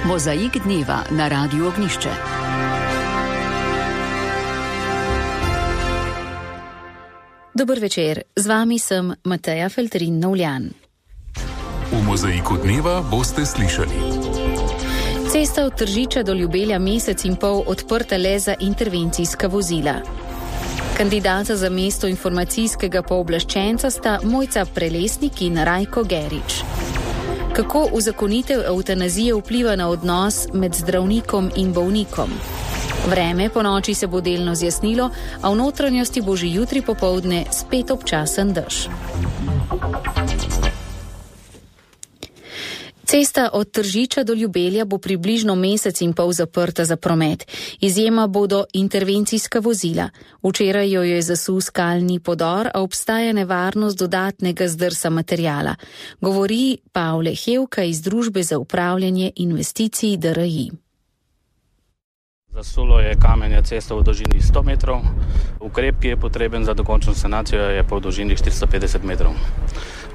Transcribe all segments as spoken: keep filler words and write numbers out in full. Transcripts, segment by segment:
Mozaik dneva na Radiu Ognjišče. Dober večer, z vami sem Mateja Feltrin-Novljan. V Mozaiku dneva boste slišali. Cesta od Tržiča do Ljubelja mesec in pol odprta le za intervencijska vozila. Kandidata za mesto informacijskega pooblaščenca sta Mojca Prelesnik in Rajko Gerič. Kako uzakonitev evtanazije vpliva na odnos med zdravnikom in bolnikom? Vreme po noči se bo delno zjasnilo, a v notranjosti bo že jutri popoldne spet občasen dež. Cesta od Tržiča do Ljubelja bo približno mesec in pol zaprta za promet. Izjema bodo intervencijska vozila. Včeraj jo je zasul skalni podor, a obstaja nevarnost dodatnega zdrsa materijala. Govori Pavle Hevka iz Družbe za upravljanje investicij D R I. Zasulo je kamenje cesto v dolžini sto metrov, ukrep, ki je potreben za dokončno sanacijo, je pa v dolžini štiristo petdeset metrov.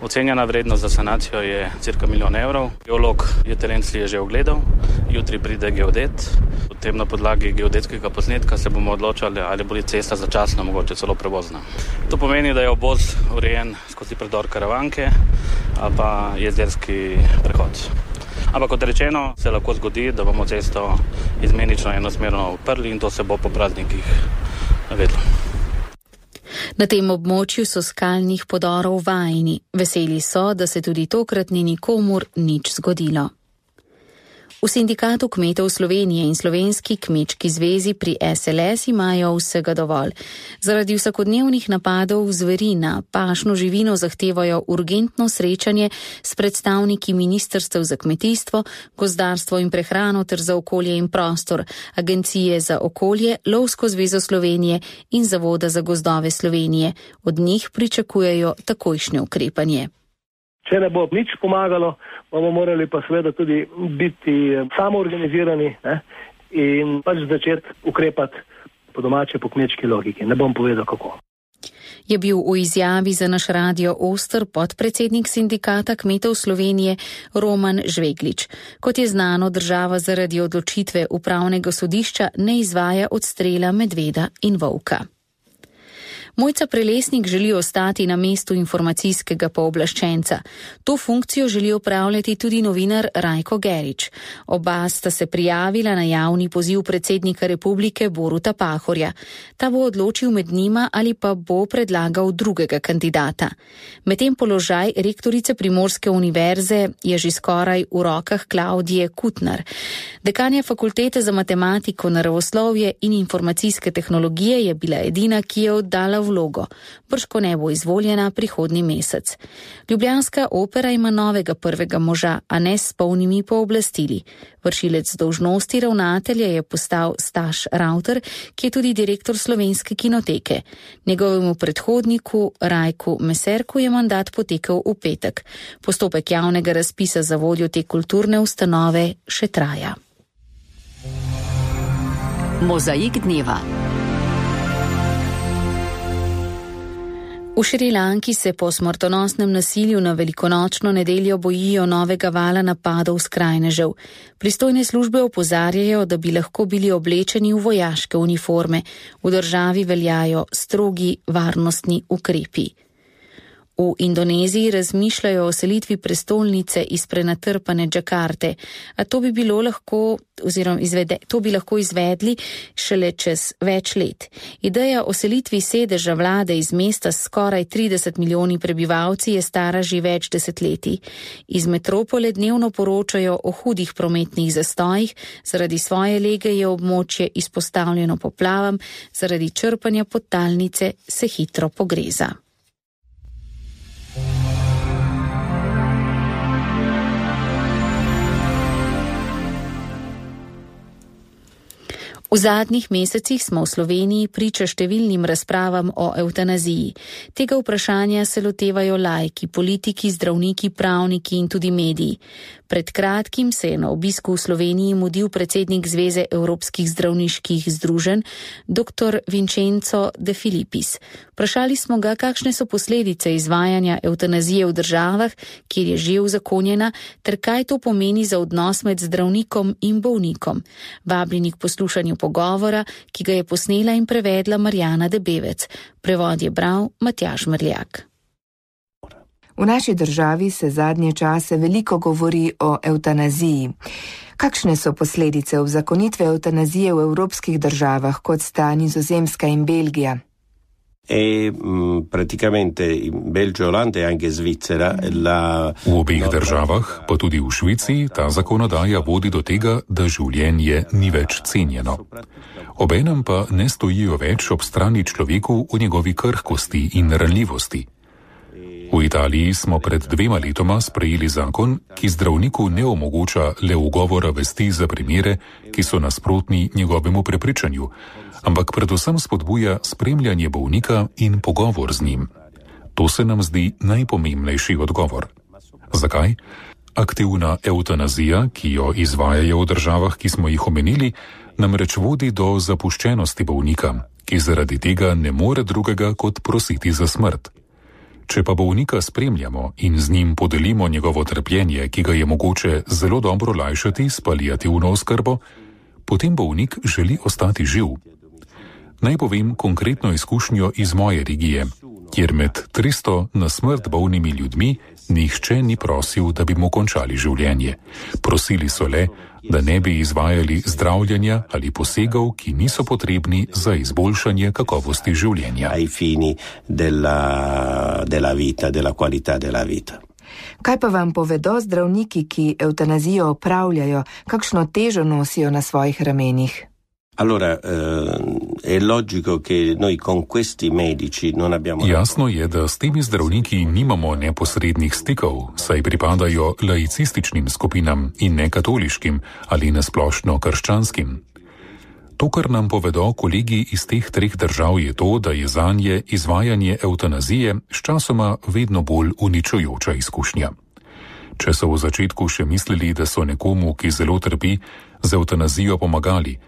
Ocenjena vrednost za sanacijo je cirka milijon evrov. Geolog je teren si je že ogledal, jutri pride geodet. Potem na podlagi geodetskega posnetka se bomo odločali, ali bo cesta začasno mogoče celo prevozna. To pomeni, da je obvoz urejen skozi predor Karavanke ali pa jezerski prehod. Ampak kot rečeno, se lahko zgodi, da bomo cesto izmenično enosmerno odprli in to se bo po praznikih vedlo. Na tem območju so skalnih podorov vajeni. Veseli so, da se tudi tokrat ni nikomur nič zgodilo. V Sindikatu kmetov Slovenije in Slovenski kmečki zvezi pri S L S imajo vsega dovolj. Zaradi vsakodnevnih napadov zveri na pašno živino zahtevajo urgentno srečanje s predstavniki ministrstev za kmetijstvo, gozdarstvo in prehrano ter za okolje in prostor, Agencije za okolje, Lovsko zvezo Slovenije in Zavoda za gozdove Slovenije. Od njih pričakujejo takojšnje ukrepanje. Če ne bo nič pomagalo, bomo morali pa seveda tudi biti samoorganizirani ne, in pač začeti ukrepati po domače, po kmečki logiki. Ne bom povedal kako. Je bil v izjavi za naš radio Oster podpredsednik Sindikata kmetov Slovenije Roman Žveglič. Kot je znano, država zaradi odločitve upravnega sodišča ne izvaja odstrela medveda in volka. Mojca Prelesnik želi ostati na mestu informacijskega pooblaščenca. To funkcijo želi opravljati tudi novinar Rajko Gerič. Oba sta se prijavila na javni poziv predsednika republike Boruta Pahorja. Ta bo odločil med njima ali pa bo predlagal drugega kandidata. Medtem položaj rektorice Primorske univerze je že skoraj v rokah Klaudije Kutnar. Dekanja fakultete za matematiko, naravoslovje in informacijske tehnologije je bila edina, ki je oddala vlogo. Brško ne bo izvoljena prihodnji mesec. Ljubljanska opera ima novega prvega moža, a ne s polnimi pooblastili. Vršilec dolžnosti ravnatelja je postal Staš Ravter, ki je tudi direktor Slovenske kinoteke. Njegovemu predhodniku Rajku Meserku je mandat potekel v petek. Postopek javnega razpisa za vodjo te kulturne ustanove še traja. Mozaik dneva. V Šrilanki se po smrtonosnem nasilju na velikonočno nedeljo bojijo novega vala napadov skrajnežev. Pristojne službe opozarjajo, da bi lahko bili oblečeni v vojaške uniforme. V državi veljajo strogi varnostni ukrepi. V Indoneziji razmišljajo o selitvi prestolnice iz prenatrpane Džakarte, a to bi bilo lahko, oziroma izvede, to bi lahko izvedli šele čez več let. Ideja o selitvi sedeža vlade iz mesta s skoraj trideset milijoni prebivalci je stara že več desetletij. Iz metropole dnevno poročajo o hudih prometnih zastojih, zaradi svoje lege je območje izpostavljeno poplavam, zaradi črpanja podtalnice se hitro pogreza. V zadnjih mesecih smo v Sloveniji priča številnim razpravam o evtanaziji. Tega vprašanja se lotevajo laiki, politiki, zdravniki, pravniki in tudi mediji. Pred kratkim se je na obisku v Sloveniji mudil predsednik Zveze evropskih zdravniških združenj, dr. Vincenzo De Filippis. Vprašali smo ga, kakšne so posledice izvajanja evtanazije v državah, kjer je že uzakonjena, ter kaj to pomeni za odnos med zdravnikom in bolnikom. Vabljeni k poslušanju pogovora, ki ga je posnela in prevedla Marjana Debevec. Prevod je bral Matjaž Mrljak. V naši državi se zadnje čase veliko govori o evtanaziji. Kakšne so posledice uzakonitve evtanazije v evropskih državah, kot sta Nizozemska in Belgija? E, m, praticamente in Belgio, Olanda e anche Svizzera la... V obeh državah, pa tudi v Švici, ta zakonodaja vodi do tega, da življenje ni več cenjeno. Obenem pa ne stojijo več ob strani človeku v njegovi krhkosti in ranljivosti. V Italiji smo pred dvema letoma sprejeli zakon, ki zdravniku ne omogoča le ugovora vesti za primere, ki so nasprotni njegovemu prepričanju, ampak predvsem spodbuja spremljanje bolnika in pogovor z njim. To se nam zdi najpomembnejši odgovor. Zakaj? Aktivna evtanazija, ki jo izvajajo v državah, ki smo jih omenili, namreč vodi do zapuščenosti bolnika, ki zaradi tega ne more drugega kot prositi za smrt. Če pa bolnika spremljamo in z njim podelimo njegovo trpljenje, ki ga je mogoče zelo dobro lajšati s paliativno oskrbo, potem bolnik želi ostati živ. Naj povem konkretno izkušnjo iz moje regije, kjer med tristo na smrt bolnimi ljudmi nihče ni prosil, da bi mu končali življenje. Prosili so le, da ne bi izvajali zdravljenja ali posegov, ki niso potrebni za izboljšanje kakovosti življenja. Ai fini della, della vita, della qualità della vita. Kaj pa vam povedo zdravniki, ki evtanazijo opravljajo, kakšno težo nosijo na svojih ramenih? Allora, eh, è logico che noi con questi medici non abbiamo... Jasno je, da s temi zdravniki nimamo neposrednih stikov, saj pripadajo laicističnim skupinam in ne katoliškim ali nasplošno krščanskim. To, kar nam povedo kolegi iz teh treh držav, je to, da je zanje izvajanje evtanazije sčasoma vedno bolj uničujoča izkušnja. Če so v začetku še mislili, da so nekomu, ki zelo trpi, z evtanazijo pomagali,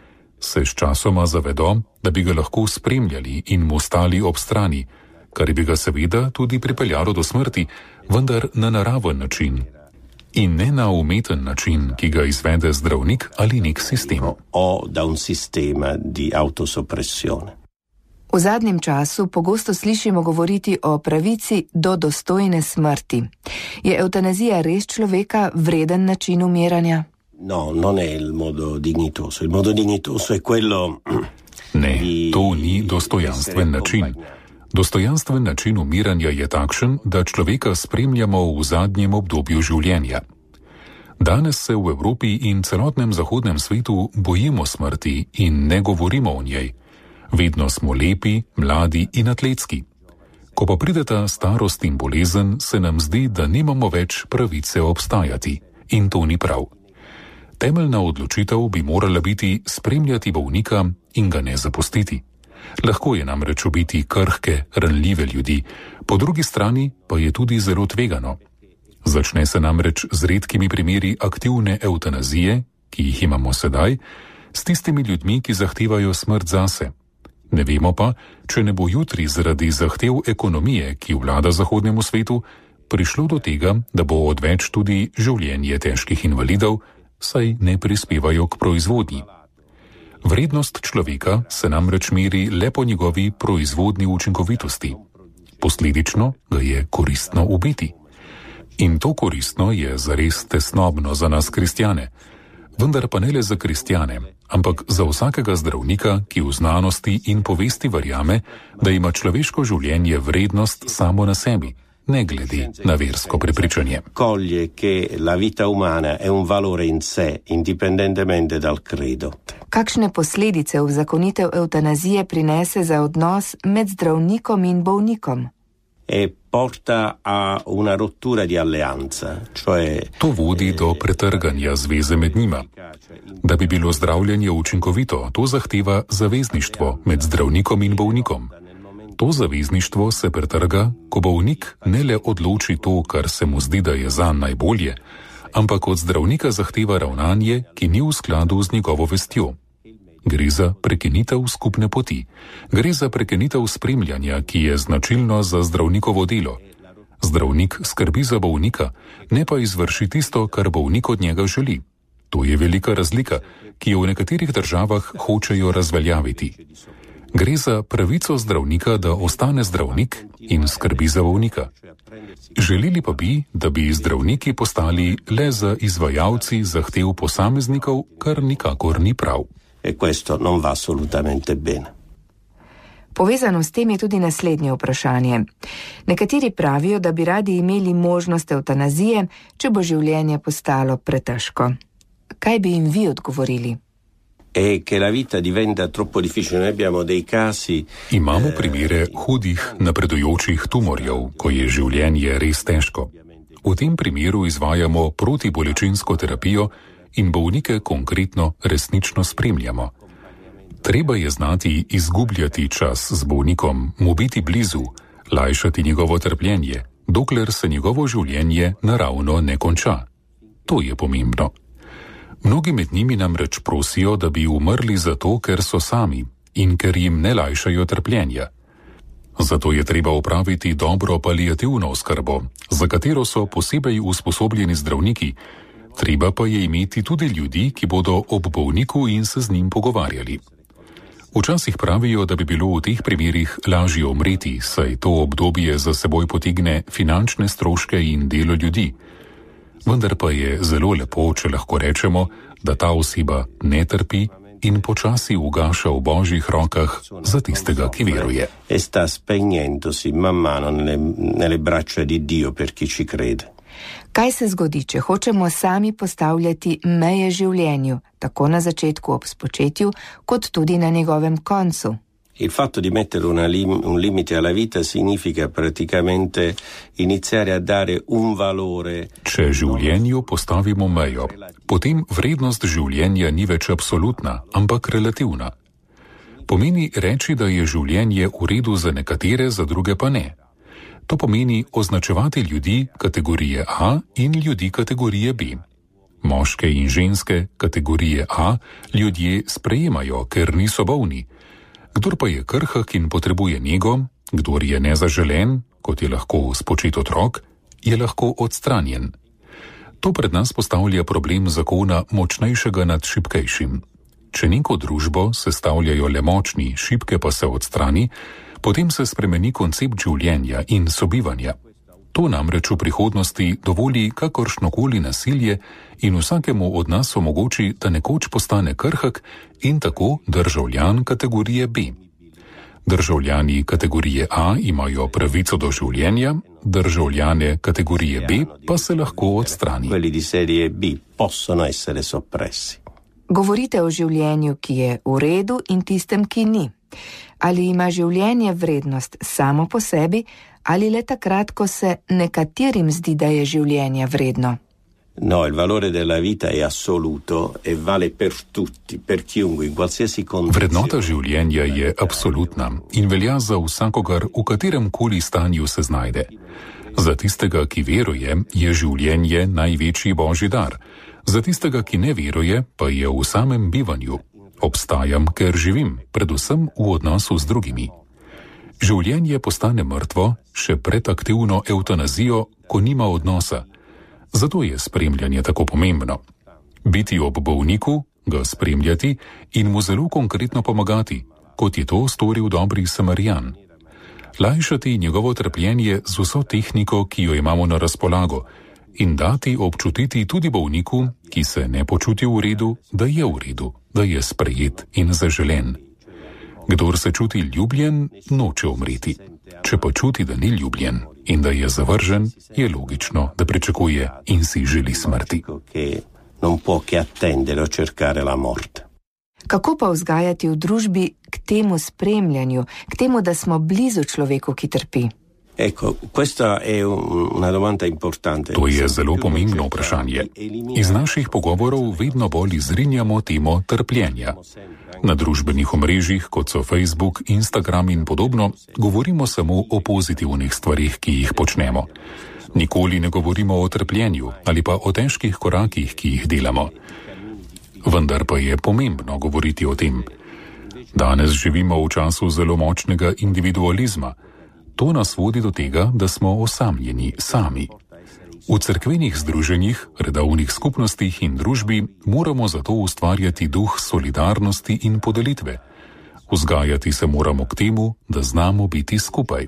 se sčasoma zavedo, da bi ga lahko spremljali in mu stali ob strani, kar bi ga seveda tudi pripeljalo do smrti, vendar na naraven način in ne na umeten način, ki ga izvede zdravnik ali nek sistem. O da un sistema di autosoppressione. V zadnjem času pogosto slišimo govoriti o pravici do dostojne smrti. Je evtanazija res človeka vreden način umiranja? No, non è il modo dignitoso. Il modo dignitoso è quello... Ne, to ni dostojanstven način. Dostojanstven način umiranja je takšen, da človeka spremljamo v zadnjem obdobju življenja. Danes se v Evropi in celotnem zahodnem svetu bojimo smrti in ne govorimo o njej. Vedno smo lepi, mladi in atletski. Ko pa prideta starost in bolezen, se nam zdi, da nimamo več pravice obstajati. In to ni prav. Temeljna odločitev bi morala biti spremljati bolnika in ga ne zapustiti. Lahko je namreč ubiti krhke, ranljive ljudi, po drugi strani pa je tudi zelo tvegano. Začne se namreč z redkimi primeri aktivne evtanazije, ki jih imamo sedaj, s tistimi ljudmi, ki zahtevajo smrt zase. Ne vemo pa, če ne bo jutri zaradi zahtev ekonomije, ki vlada zahodnemu svetu, prišlo do tega, da bo odveč tudi življenje težkih invalidov, saj ne prispevajo k proizvodnji. Vrednost človeka se namreč meri le po njegovi proizvodni učinkovitosti. Posledično ga je koristno ubiti. In to koristno je zares tesnobno za nas kristjane. Vendar pa ne le za kristjane, ampak za vsakega zdravnika, ki v znanosti in povesti verjame, da ima človeško življenje vrednost samo na sebi, ne glede na versko prepričanje. Coglie che la vita umana è un valore in sé, indipendentemente dal credo. Kakšne posledice uzakonitev evtanazije prinese za odnos med zdravnikom in bolnikom? E porta a una rottura di alleanza, cioè... To vodi do pretrganja zveze med njima. Da bi bilo zdravljenje učinkovito, to zahteva zavezništvo med zdravnikom in bolnikom. To zavezništvo se pretrga, ko bolnik ne le odloči to, kar se mu zdi, da je zanj najbolje, ampak od zdravnika zahteva ravnanje, ki ni v skladu z njegovo vestjo. Gre za prekinitev skupne poti. Gre za prekinitev spremljanja, ki je značilno za zdravnikovo delo. Zdravnik skrbi za bolnika, ne pa izvrši tisto, kar bolnik od njega želi. To je velika razlika, ki jo v nekaterih državah hočejo razveljaviti. Gre za pravico zdravnika, da ostane zdravnik in skrbi za bolnika. Želeli pa bi, da bi zdravniki postali le za izvajalci zahtev posameznikov, kar nikakor ni prav. E questo non va assolutamente bene. Povezano s tem je tudi naslednje vprašanje. Nekateri pravijo, da bi radi imeli možnost evtanazije, če bo življenje postalo pretežko. Kaj bi jim vi odgovorili? E che la vita diventa troppo difficile. Noi abbiamo dei casi. Imamo primere hudih, napredujočih tumorjev, ko je življenje res težko. V tem primeru izvajamo protibolečinsko terapijo in bolnike konkretno resnično spremljamo. Treba je znati izgubljati čas z bolnikom, mu biti blizu, lajšati njegovo trpljenje, dokler se njegovo življenje naravno ne konča. To je pomembno. Mnogi med njimi namreč prosijo, da bi umrli zato, ker so sami in ker jim ne lajšajo trpljenja. Zato je treba opraviti dobro paliativno oskrbo, za katero so posebej usposobljeni zdravniki. Treba pa je imeti tudi ljudi, ki bodo ob bolniku in se z njim pogovarjali. Včasih pravijo, da bi bilo v teh primerih lažje umreti, saj to obdobje za seboj potegne finančne stroške in delo ljudi. Vendar pa je zelo lepo, če lahko rečemo, da ta oseba ne trpi in počasi ugaša v božjih rokah za tistega, ki veruje. E sta spegnendosi man mano nelle, nelle braccia di Dio per chi ci crede. Kaj se zgodi, če hočemo sami postavljati meje življenju, tako na začetku ob spočetju, kot tudi na njegovem koncu? Il fatto di mettere una lim- un limite alla vita significa praticamente iniziare a dare un valore. Če življenju postavimo mejo, potem vrednost življenja ni več absolutna, ampak relativna. Pomeni reči, da je življenje v redu za nekatere, za druge pa ne. To pomeni označevati ljudi kategorije A in ljudi kategorije B. Moške in ženske kategorije A ljudje sprejemajo, ker niso bolni. Kdor pa je krhak in potrebuje nego, kdor je nezaželen, kot je lahko spočet otrok, je lahko odstranjen. To pred nas postavlja problem zakona močnejšega nad šibkejšim. Če neko družbo sestavljajo le močni, šibke pa se odstrani, potem se spremeni koncept življenja in sobivanja. To namreč v prihodnosti dovoli kakršnokoli nasilje in vsakemu od nas omogoči, da nekoč postane krhak in tako državljan kategorije B. Državljani kategorije A imajo pravico do življenja, državljane kategorije B pa se lahko odstrani. Quelli di serie B possono essere soppressi. Govorite o življenju, ki je v redu in tistem, ki ni. Ali ima življenje vrednost samo po sebi, ali le takrat, ko se nekaterim zdi, da je življenje vredno? No, il valore della vita è assoluto e vale per tutti, per chiunque, in qualsiasi condizione. Vrednota življenja je absolutna in velja za vsakogar, v katerem koli stanju se znajde. Za tistega, ki veruje, je življenje največji božji dar. Za tistega, ki ne veruje, pa je v samem bivanju. Obstajam, ker živim, predvsem v odnosu z drugimi. Življenje postane mrtvo še pred aktivno evtanazijo, ko nima odnosa. Zato je spremljanje tako pomembno. Biti ob bolniku, ga spremljati in mu zelo konkretno pomagati, kot je to storil dobri Samarijan. Lajšati njegovo trpljenje z vso tehniko, ki jo imamo na razpolago, in dati občutiti tudi bolniku, ki se ne počuti v redu, da je v redu, da je sprejet in zaželen. Kdor se čuti ljubljen, noče umreti. Če pa čuti, da ni ljubljen in da je zavržen, je logično, da pričakuje in si želi smrti. Kako pa vzgajati v družbi k temu spremljanju, k temu, da smo blizu človeku, ki trpi? Ecco, questa è una domanda importante. To je zelo pomembno vprašanje. Iz naših pogovorov vedno bolj izrinjamo temo trpljenja. Na družbenih omrežjih, kot so Facebook, Instagram in podobno, govorimo samo o pozitivnih stvarih, ki jih počnemo. Nikoli ne govorimo o trpljenju ali pa o težkih korakih, ki jih delamo. Vendar pa je pomembno govoriti o tem. Danes živimo v času zelo močnega individualizma. To nas vodi do tega, da smo osamljeni sami. V cerkvenih združenjih, redovnih skupnostih in družbi moramo zato ustvarjati duh solidarnosti in podelitve. Vzgajati se moramo k temu, da znamo biti skupaj.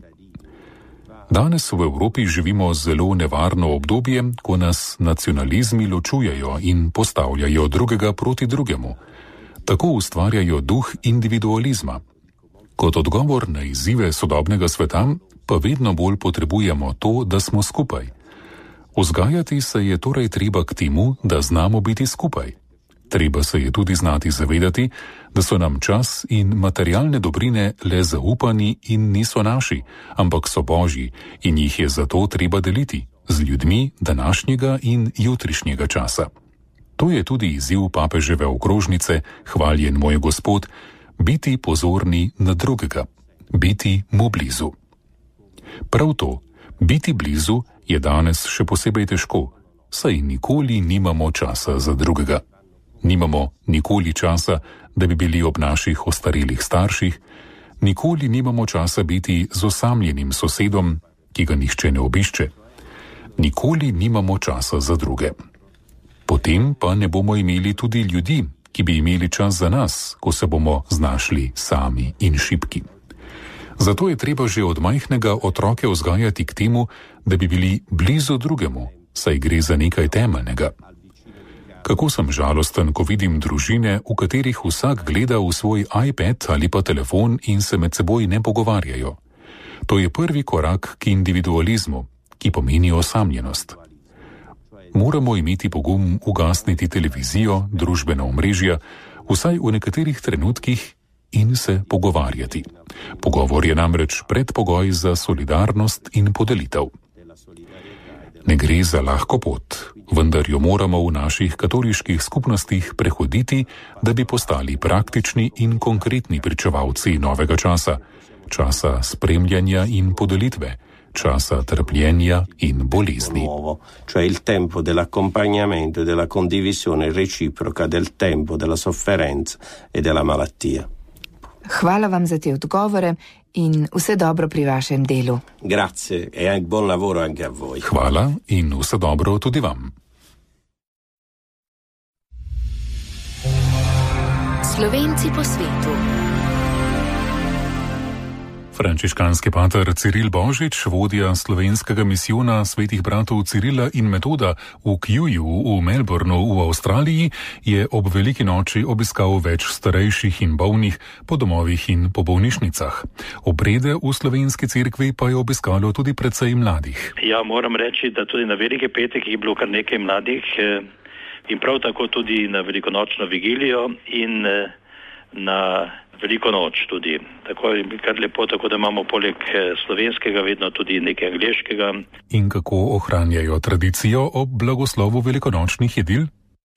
Danes v Evropi živimo zelo nevarno obdobje, ko nas nacionalizmi ločujejo in postavljajo drugega proti drugemu. Tako ustvarjajo duh individualizma. Kot odgovor na izzive sodobnega sveta pa vedno bolj potrebujemo to, da smo skupaj. Vzgajati se je torej treba k temu, da znamo biti skupaj. Treba se je tudi znati zavedati, da so nam čas in materialne dobrine le zaupani in niso naši, ampak so božji in jih je zato treba deliti z ljudmi današnjega in jutrišnjega časa. To je tudi izziv papeževe okrožnice, hvaljen moj Gospod, biti pozorni na drugega, biti mu blizu. Prav to, biti blizu, je danes še posebej težko, saj nikoli nimamo časa za drugega. Nimamo nikoli časa, da bi bili ob naših ostarelih starših, nikoli nimamo časa biti z osamljenim sosedom, ki ga nihče ne obišče. Nikoli nimamo časa za druge. Potem pa ne bomo imeli tudi ljudi, ki bi imeli čas za nas, ko se bomo znašli sami in šibki. Zato je treba že od majhnega otroke vzgajati k temu, da bi bili blizu drugemu, saj gre za nekaj temeljnega. Kako sem žalosten, ko vidim družine, v katerih vsak gleda v svoj iPad ali pa telefon in se med seboj ne pogovarjajo. To je prvi korak k individualizmu, ki pomeni osamljenost. Moramo imeti pogum ugasniti televizijo, družbena omrežja, vsaj v nekaterih trenutkih in se pogovarjati. Pogovor je namreč predpogoj za solidarnost in podelitev. Ne gre za lahko pot, vendar jo moramo v naših katoliških skupnostih prehoditi, da bi postali praktični in konkretni pričevalci novega časa, časa spremljanja in podelitve, časa trpljenja in bolezni. Cioè il tempo dell'accompagnamento e della condivisione reciproca del tempo della sofferenza e della malattia. Hvala vam za te odgovore in vse dobro pri vašem delu. Grazie e buon lavoro anche a voi. Hvala in vse dobro tudi vam. Slovenci po svetu. Frančiškanski pater Ciril Božič, vodja slovenskega misijona svetih bratov Cirila in Metoda v Kjuju v Melbournu v Avstraliji, je ob veliki noči obiskal več starejših in bolnih po domovih in po bolnišnicah. Obrede v slovenski cerkvi pa je obiskalo tudi precej mladih. Ja, moram reči, da tudi na veliki petek je bilo kar nekaj mladih in prav tako tudi na velikonočno vigilijo in na veliko noč tudi. Tako je kar lepo, tako da imamo poleg slovenskega vedno tudi nekaj angleškega. In kako ohranjajo tradicijo ob blagoslovu velikonočnih jedil?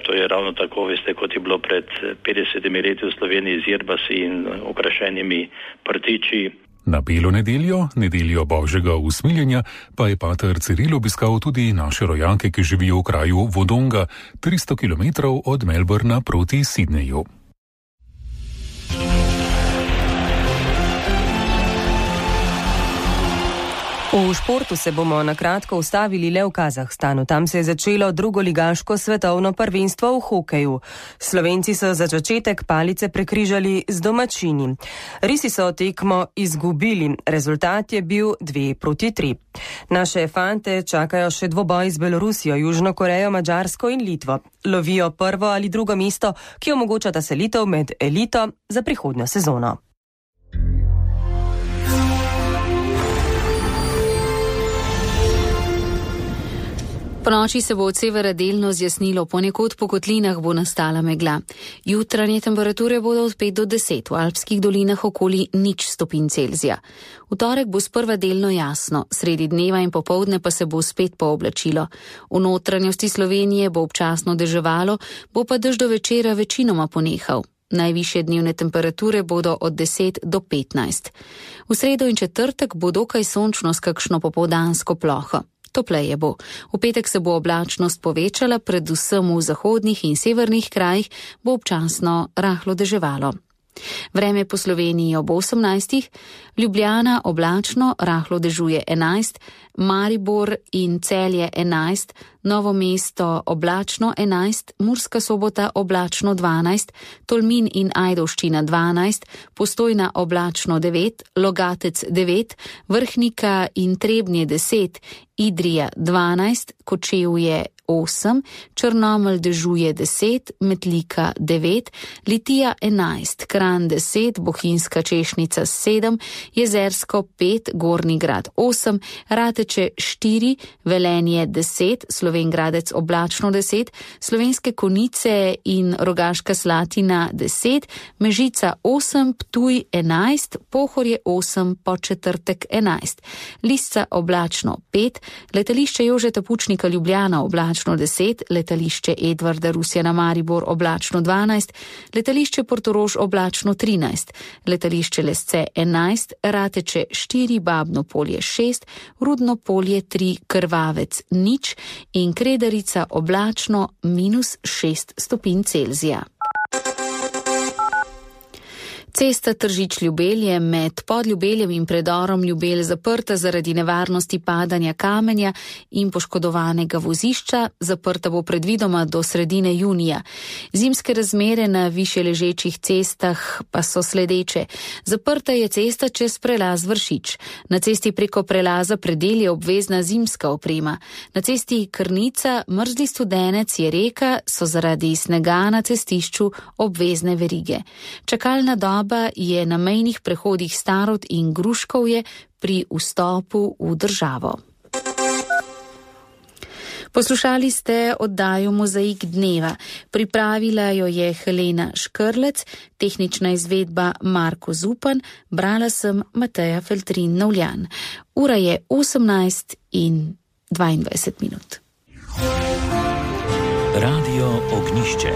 To je ravno tako, veste, kot je bilo pred petdesetimi leti v Sloveniji z jerbasi in okrašenimi prtiči. Na belo nedeljo, nedeljo Božjega usmiljenja, pa je pater Ciril obiskal tudi naše rojake, ki živijo v kraju Wodonga, tristo kilometrov od Melbourna proti Sydneyju. V športu se bomo na kratko ustavili le v Kazahstanu. Tam se je začelo drugoligaško svetovno prvenstvo v hokeju. Slovenci so za začetek palice prekrižali z domačini. Risi so tekmo izgubili. Rezultat je bil dve proti tri. Naše fante čakajo še dvoboj z Belorusijo, Južno Korejo, Madžarsko in Litvo. Lovijo prvo ali drugo mesto, ki omogočata selitev med elito za prihodnjo sezono. Po noči se bo od severa delno zjasnilo, ponekod po kotlinah bo nastala megla. Jutranje temperature bodo od pet do deset, v alpskih dolinah okoli nič stopinj Celzija. V torek bo sprva delno jasno, sredi dneva in popoldne pa se bo spet pooblačilo. V notranjosti Slovenije bo občasno deževalo, bo pa dež do večera večinoma ponehal. Najvišje dnevne temperature bodo od deset do petnajst. V sredo in četrtek bo dokaj sončno s kakšno popoldansko ploho. topleje bo. V petek se bo oblačnost povečala, predvsem v zahodnih in severnih krajih bo občasno rahlo deževalo. Vreme po Sloveniji ob osemnajstih, Ljubljana oblačno, rahlo dežuje enajst, Maribor in Celje enajst, Novo mesto oblačno enajst, Murska Sobota oblačno dvanajst, Tolmin in Ajdovščina dvanajst, Postojna oblačno devet, Logatec devet, Vrhnika in Trebnje deset, Idrija dvanajst, Kočevje osem, Črnomelj dežuje deset, Metlika devet, Litija enajst, Kranj deset, Bohinjska Češnica sedem, Jezersko pet, Gornji Grad osem, Rateče štiri, Velenje deset, Slovenj Gradec oblačno deset, Slovenske Konjice in Rogaška Slatina deset, Mežica osem, Ptuj enajst, Pohorje osem, Podčetrtek enajst, Lisca oblačno pet, Letališče Jožeta Pučnika Ljubljana oblačno deset, Letališče Edvarda Rusjana Maribor oblačno dvanajst, Letališče Portorož oblačno trinajst, Letališče Lesce enajst, Rateče štiri, Babno Polje šest, Rudno Polje tri, Krvavec nič in Kredarica oblačno minus šest stopinj Celzija. Cesta Tržič-Ljubelj je med Podljubeljem in predorom Ljubelj zaprta zaradi nevarnosti padanja kamenja in poškodovanega vozišča, zaprta bo predvidoma do sredine junija. Zimske razmere na višje ležečih cestah pa so sledeče. Zaprta je cesta čez prelaz Vršič. Na cesti preko prelaza Predel je obvezna zimska oprema. Na cesti Krnica, Mrzli Studenec je reka, so zaradi snega na cestišču obvezne verige. Čakalna doba je na mejnih prehodih Starod in Gruškovje pri vstopu v državo. Poslušali ste oddajo Mozaik dneva. Pripravila jo je Helena Škrlec, tehnična izvedba Marko Zupan, brala sem Mateja Feltrin-Novljan. Ura je osemnajst in dvaindvajset minut. Radio Ognjišče.